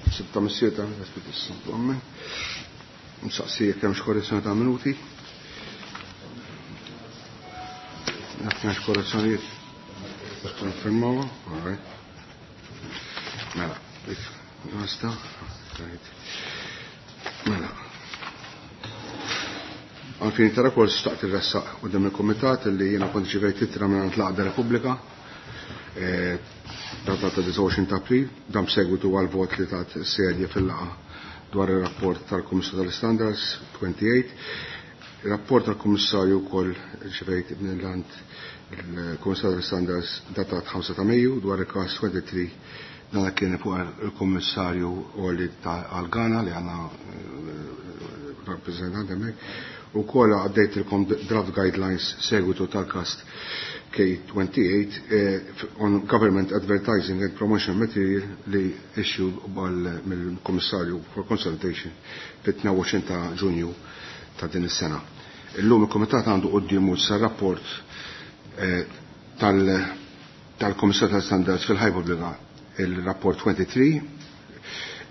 Sitta missieta, Nsaqsi jekk hemmx korrezzjoni ta' minuti. Jekk hemmx korrezzjonijiet, konfermawha, all right. Mela, dik basta. Right. Mela. Għalfini ta' rapport staqt il-ressaq u dem il-komitat li jena kont ġivejt ittra minn l-Għaqda Repubblika data ta' 29 ta' April, dan b'segwitu għal vot li tat sedja fil-laqa dwar il-rapport tal-Kummissarju tal-Standards 28. Il-rapport tal-Kummissarju wkoll ġivejt mill-għand il-Kummissarju tal-Standards datat 5 ta' Mejju dwar il-każ 23 dan kien fuq il-Kummissarju Oli għal-Ghana li għandna rappresentant hemmhekk. Ukoll għaddejtilkom draft guidelines segwitu tal-każ K28 on Government Advertising and Promotion Material li issue mill-Kummissarju for Consultation fit-22 ta' Ġunju ta' din is-sena. Illum il-Kumitat għandu quddiemu sa rapport tal-Kummissarju tal-Standards fil-Ħajja Pubblika, il-rapport 23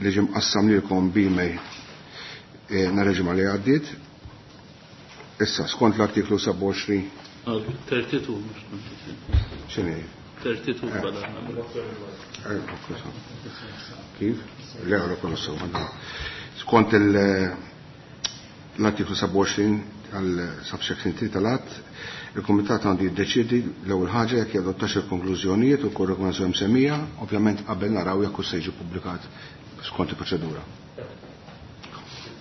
li ġie mqassam lilkom b'email nhar il-ġimgħa li għaddiet. Issa, skont l-artiklu 27. 32, mhux 23. X'inhi? 32 bada. Kif? Le, għara kollu sew. Skont l-artiklu 27 għal subsection 3 tal-att, il-Kumitat għandu jiddeċiedi l-ewwel ħaġa jekk jadottax il-konklużjonijiet u kull rekomendazzjoni msemmija, ovvjament qabel naraw jekk se jiġi ppubblikat skont il-proċedura.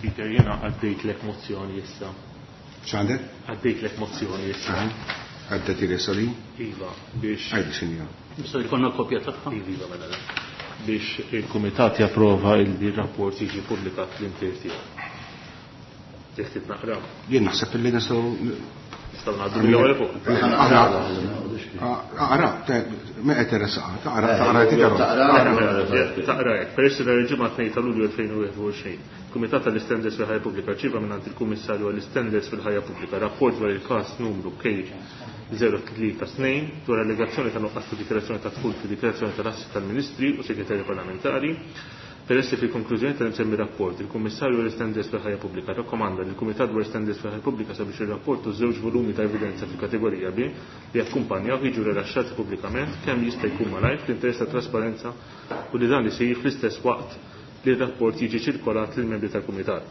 Peter, jiena għaddejtlek mozzjoni issa. X'għandek? Għaddejtlek mozzjoni issa. Għaddejt li sali? Iva, biex. Għajdi, sinjor. Nistgħu jkollna kopja tagħha? Iva, iva, mela. Biex il-Kumitat japprova il-rapport jiġi ppubblikat l-intier tiegħu. Jekk trid naqra. Jien naħseb illi nistgħu Nistgħu ngħaddu mill-ewwel fuq. Aqra, aqra, me qed irresaqha, taqra, taqra, taqra. Taqra hekk. Peress li nhar il-Ġimgħa 2 ta' Lulju 2021, Kumitat tal-Istandards fil-Ħajja Pubblika rċieva mingħand il-Kummissarju għall-Istandards fil-Ħajja Pubblika rapport dwar il-każ numru K032 dwar allegazzjoni ta' nuqqas ta' dikjarazzjoni ta' dħul fid-dikjarazzjoni tal-assi tal-Ministri u Segretarji Parlamentari. Peress li fil-konklużjoni tal-imsemmi rapport, il-Kummissarju għall-Istandards fil-Ħajja Pubblika rrakkomanda lill-Kumitat dwar Standards fil-Ħajja Pubblika sabiex ir-rapport u żewġ volumi ta' evidenza fil-kategorija B li jakkumpanjaw jiġu rilaxxati pubblikament kemm jista' jkun malajr fl-interess ta' trasparenza u li dan isir fl-istess waqt li r-rapport jiġi ċirkolat lill-membri tal-Kumitat.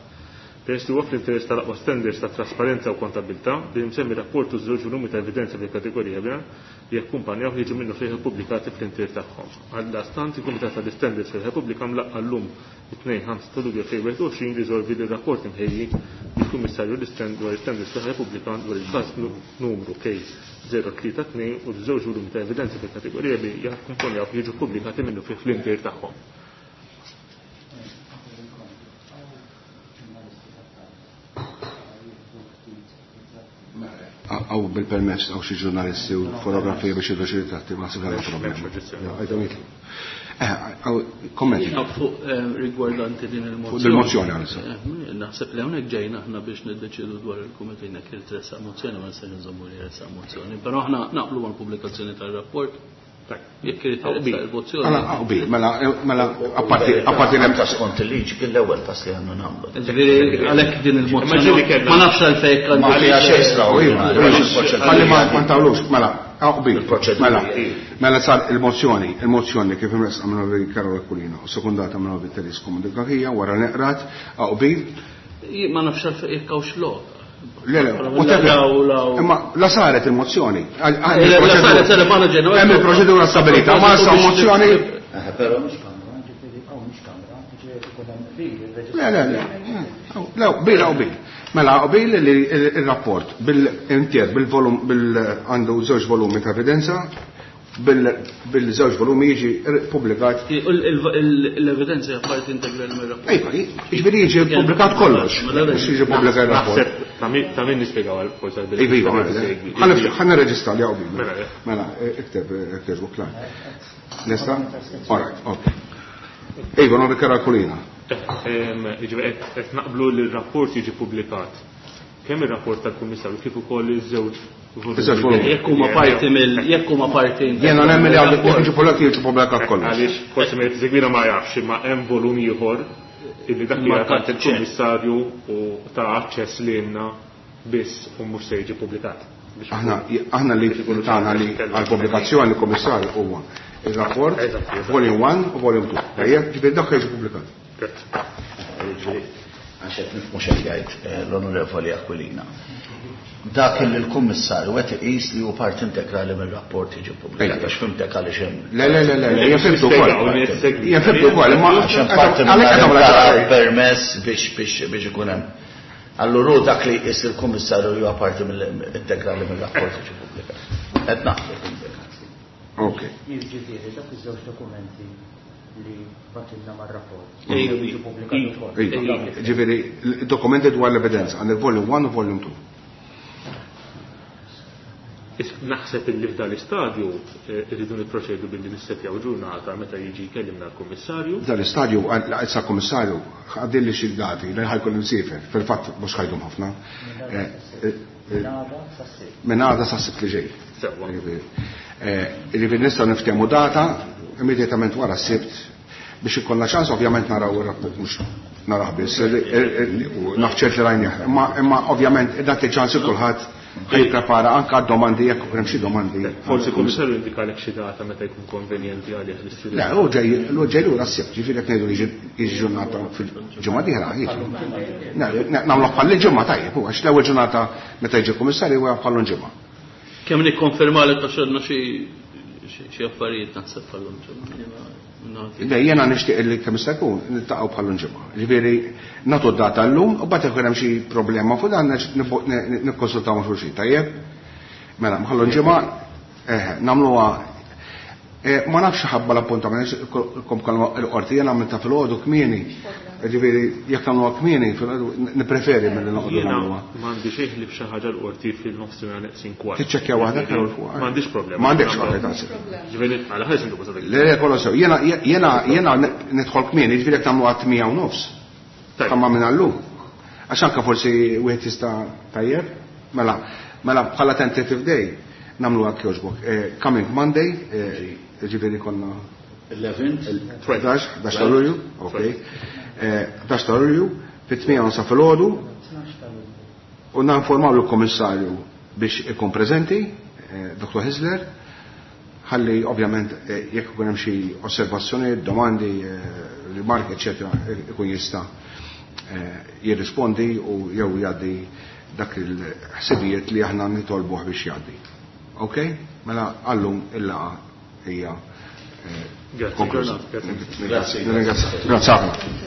Peress li huwa fl-interess tal-aqwa standards ta' trasparenza u kontabilità li l-imsemmi rapport u żewġ volumi ta' evidenza fil-kategorija B li jakkumpanjaw jiġu minnu fih ippubblikati fl-intier tagħhom. Għaldaqstant il-Kumitat tal-Istandards fil-Repubblika mlaqqa llum it-2 5 ta' Lulju 2021 riżolvi li r-rapport imħejji mill-Kummissarju dwar l-Istandards fil-Repubblika dwar il-każ numru K032 u żewġ volumi ta' evidenza fil-kategorija B jakkumpanjaw jiġu ppubblikati minnu fih fl-intier tagħhom. Għaw bil-permess għaw xi ġurnalisti u fotografija biex jiddu xi ritratti, ma naħseb għandhom problema. Għajdhom jitlu. Għaw, kommenti. Jina fuq rigwardanti din il-mozzjoni. Fuq il-mozzjoni għalissa. Naħseb li hawnhekk ġejna aħna biex niddeċidu dwar il-kumitat jekk irid tressaq mozzjoni, ma nistax nżommu li tressaq mozzjoni. Però aħna naqblu mal-pubblikazzjoni tar-rapport. Jekk irid tressaq il-mozzjoni. Mela, qbil, mela, mela, apparti, apparti l-hemm ta' skont il-liġi kien l-ewwel pass li għandna nagħmlu. Ġifieri għalhekk din il-mozzjoni. Ma ġieli kellna. Ma nafx għalfejn għandu Ma xi xejn xejn. U iva, ħalli ma ntawlux, mela, qbil. Il-proċedura. Mela, mela sar il-mozzjoni, il-mozzjoni kif imressqa minn Ovi Karol Aquilina u sekundata minn Ovi Therese Comodini wara neqrat, qbil. Ma nafx għalfejn jekk hawnx lok. Le, le, Però whatever. law, law. Imma la saret il-mozzjoni. Le, la saret, saret, ma ġenwa. Hemm il-proċedura stabilita, ma sa mozzjoni. Però mhux kamra, ġifieri hawn mhux kamra, ġifieri ikun hemm qbil, il-reġistru. Le, le, le. Le, qbil, qbil. Mela, qbil li il-rapport bil-intier, bil-volum, bil-għandu żewġ volumi ta' evidenza, bil-żewġ volumi jiġi ppubblikat. L-evidenza hija parti integrali mir-rapport. Ejja, jiġifieri jiġi ppubblikat kollox. Mhux jiġi ppubblikat il-rapport. Naħseb ta' min nispjegaw għal forsi għal Iva, iva, mela. Ħa nirreġistra li hawn. Mela, eh. Mela, ikteb, ikteb, klar. Lesta? All right, okay. Iva, non rikara kulina. Jiġifieri qed naqblu li r-rapport jiġi ppubblikat. Kemm ir-rapport tal-Kummissarju kif ukoll iż-żewġ Iż-żewġ volumi. Jekk huma parti mill jekk huma parti Jiena nemmen li għandu jekk jiġu pubblikati jiġu pubblikat kollox. Għaliex forsi ma jtizegwina ma jafx imma hemm volum ieħor illi dak li Markat għand il-Kummissarju u ta' aċċess lilna biss u mhux se jiġi pubblikat. Biex Aħna aħna li tagħna li għall-pubblikazzjoni l-Kummissarju huwa il-rapport volume 1 u volume 2. Tajjeb, ġifieri dak jiġi pubblikat. Grazzi. Jiġifieri, għax qed nifhmu x'qed jgħid l-Onorevoli Aquilina. Dak li l-Kummissarju qed iqis li hu parti integrali mir-rapport jiġi ppubblikat għax fhimtek għaliex hemm. Le, le, le, le, le, jien fhimtu wkoll. Jien fhimtu wkoll, imma Għax hemm parti għalhekk qed nagħmel ċara. permess biex biex biex ikun hemm. Allura hu dak li jqis il-Kummissarju li huwa parti mill-integrali mir-rapport jiġi ppubblikat. Qed naqbel pubblikat. Ok. Jiġifieri dak iż-żewġ dokumenti li batilna mar-rapport. Ejju, Jiġu pubblikati wkoll. Iva, Ġifieri, dokumenti dwar l-evidenza għandek volume 1 u volume 2. Naħseb illi f'dan l-istadju irridu nipproċedu billi nissetjaw ġurnata meta jiġi jkellimna l-Kummissarju. Dan l-istadju, issa kummissarju, għaddilli xi dati li ħajkun imsiefer, fil-fatt mhux ħajdum ħafna. Minn għada sas-Sibt. Minn għada sas-Sibt li ġej. Sewwa. Ġifieri nistgħu niftehmu data immedjatament wara s-Sibt biex ikollna ċans ovvjament naraw ir-rapport mhux narah biss, naf ċert li rajnieh. Imma ovvjament nagħti ċans il kulħadd ħajprepara anke għad-domandi jekk ikun hemm xi domandi. Forsi il-Kummissarju jindikalek xi data meta jkun konvenjenti għalih l-istudent. Le, hu ġej, hu ġej lura s-Sibt, ġifieri jekk ngħidu li jiġi ġurnata fil-ġimgħa dieħla, jiġi. Nagħmluh bħal ġimgħa tajjeb, hu għax l-ewwel ġurnata meta jiġi l-Kummissarju huwa bħal ġimgħa. Kemm nikkonfermalek għax għandna xi affarijiet naħseb bħal ġimgħa. Le, jiena nixtieq li kemm jista' jkun niltaqgħu bħal ġimgħa. Ġifieri nagħtu d-data llum u mbagħad ikun hemm xi problema fuq dan nikkonsultaw ma' xulxin, tajjeb? Mela, bħal ġimgħa, nagħmluha ma nafx ħabba l-appuntament, kom kalma l-qorti, jiena għamilta fil-għodu kmieni. Ġifieri, jekk nagħmluha kmieni, nippreferi milli noqogħdu Jiena nagħmluha. m'għandi xejn ħlief xi ħaġa l-qorti fil-nofsinhar neqsin kwart. Tiċċekkja waħda Karol fuq. M'għandix problema. M'għandekx waħda tagħsib. Ġifieri, għala ħares intu basta Le, le, kollox sew. Jiena, jiena, jiena nidħol kmieni, ġifieri jekk tagħmluha tmija u nofs. Tajjeb. Kamma minn għallum. Għax anke forsi wieħed jista' tajjeb. Mela, mela bħala tentative day nagħmluha kjoġbok. Coming Monday, ġifieri konna 11th? 11, 11 ta' Lulju, ok. 11 ta' Lulju, fit-tmija u nofs filgħodu, u ninformaw lill-Kummissarju biex ikun preżenti, Dr. Hyzler, ħalli ovvjament jekk ikun hemm xi osservazzjoni, domandi, rimarki, eċetera, ikun jista' jirrispondi u jew jgħaddi dak il-ħsibijiet li aħna nitolbuh biex jgħaddi. Ok? Mela għallum il-laqgħa hija Grazie. konkluża. Grazie. Grazie. Grazie. Grazie.